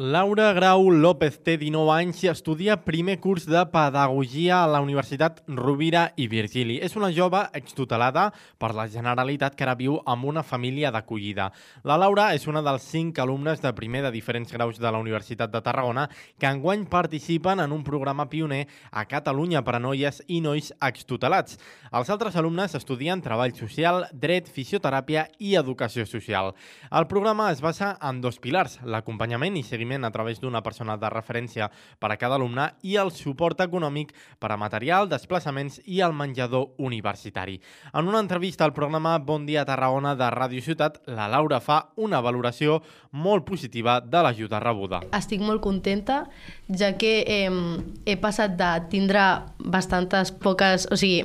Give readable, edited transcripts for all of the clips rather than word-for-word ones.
Laura Grau López té 19 anys i estudia primer curs de Pedagogia a la Universitat Rovira i Virgili. És una jove extutelada per la Generalitat que ara viu amb una família d'acollida. La Laura és una dels 5 alumnes de primer de diferents graus de la Universitat de Tarragona que enguany participen en un programa pioner a Catalunya per a noies i nois extutelats. Els altres alumnes estudien Treball Social, Dret, Fisioteràpia i Educació Social. El programa es basa en 2 pilars, l'acompanyament i seguiment a través d'una persona de referència per a cada alumne i el suport econòmic per a material, desplaçaments i el menjador universitari. En una entrevista al programa Bon Dia Tarragona de Ràdio Ciutat, la Laura fa una valoració molt positiva de l'ajuda rebuda. Estic molt contenta, ja que he passat de tindre bastantes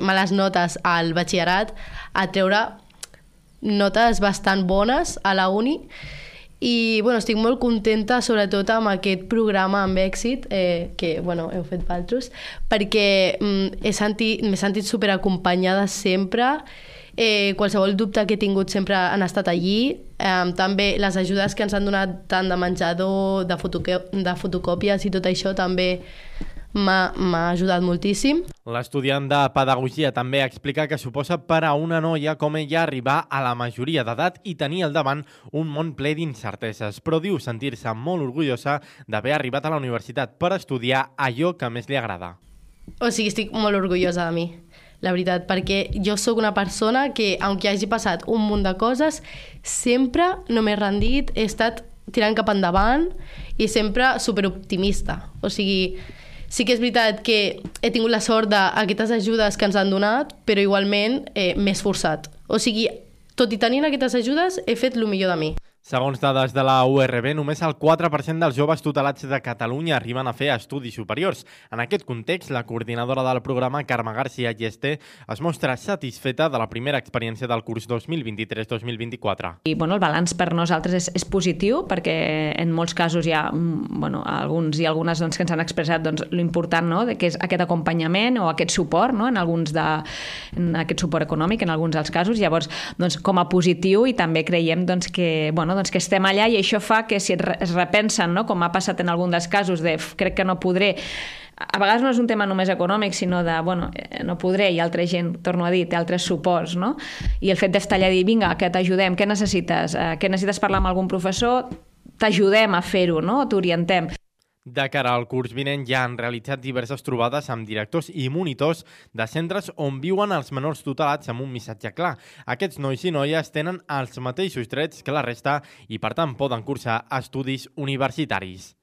males notes al batxillerat a treure notes bastant bones a la uni. I estic molt contenta, sobretot amb aquest programa amb èxit que heu fet vosaltres, perquè m'he sentit superacompanyada sempre. Qualsevol dubte que he tingut sempre han estat allí. També les ajudes que ens han donat tant de menjador, de fotocòpies i tot això també m'ha ajudat moltíssim. L'estudiant de Pedagogia també explica que suposa per a una noia com ella arribar a la majoria d'edat i tenir al davant un món ple d'incerteses, però diu sentir-se molt orgullosa d'haver arribat a la universitat per estudiar allò que més li agrada. Estic molt orgullosa de mi, la veritat, perquè jo sóc una persona que, aunque hagi passat un munt de coses, sempre no m'he rendit, he estat tirant cap endavant i sempre superoptimista. Sí que és veritat que he tingut la sort d'aquestes ajudes que ens han donat, però igualment m'he esforçat. Tot i tenint aquestes ajudes, he fet el millor de mi. Segons dades de la URB, només el 4% dels joves tutelats de Catalunya arriben a fer estudis superiors. En aquest context, la coordinadora del programa, Carme García Yeste, es mostra satisfeta de la primera experiència del curs 2023-2024. I el balanç per nosaltres és positiu, perquè en molts casos hi ha alguns i algunes que ens han expressat l'important que és aquest acompanyament o aquest suport, en aquest suport econòmic en alguns dels casos. Llavors, com a positiu, i també creiem que estem allà, i això fa que si es repensen, com ha passat en algun dels casos de crec que no podré, a vegades no és un tema només econòmic, sinó de no podré, i altra gent, torno a dir, té altres suports, i el fet d'estar allà i dir, vinga, que t'ajudem, què necessites parlar amb algun professor, t'ajudem a fer-ho, t'orientem. De cara al curs vinent ja han realitzat diverses trobades amb directors i monitors de centres on viuen els menors tutelats amb un missatge clar. Aquests nois i noies tenen els mateixos drets que la resta i, per tant, poden cursar estudis universitaris.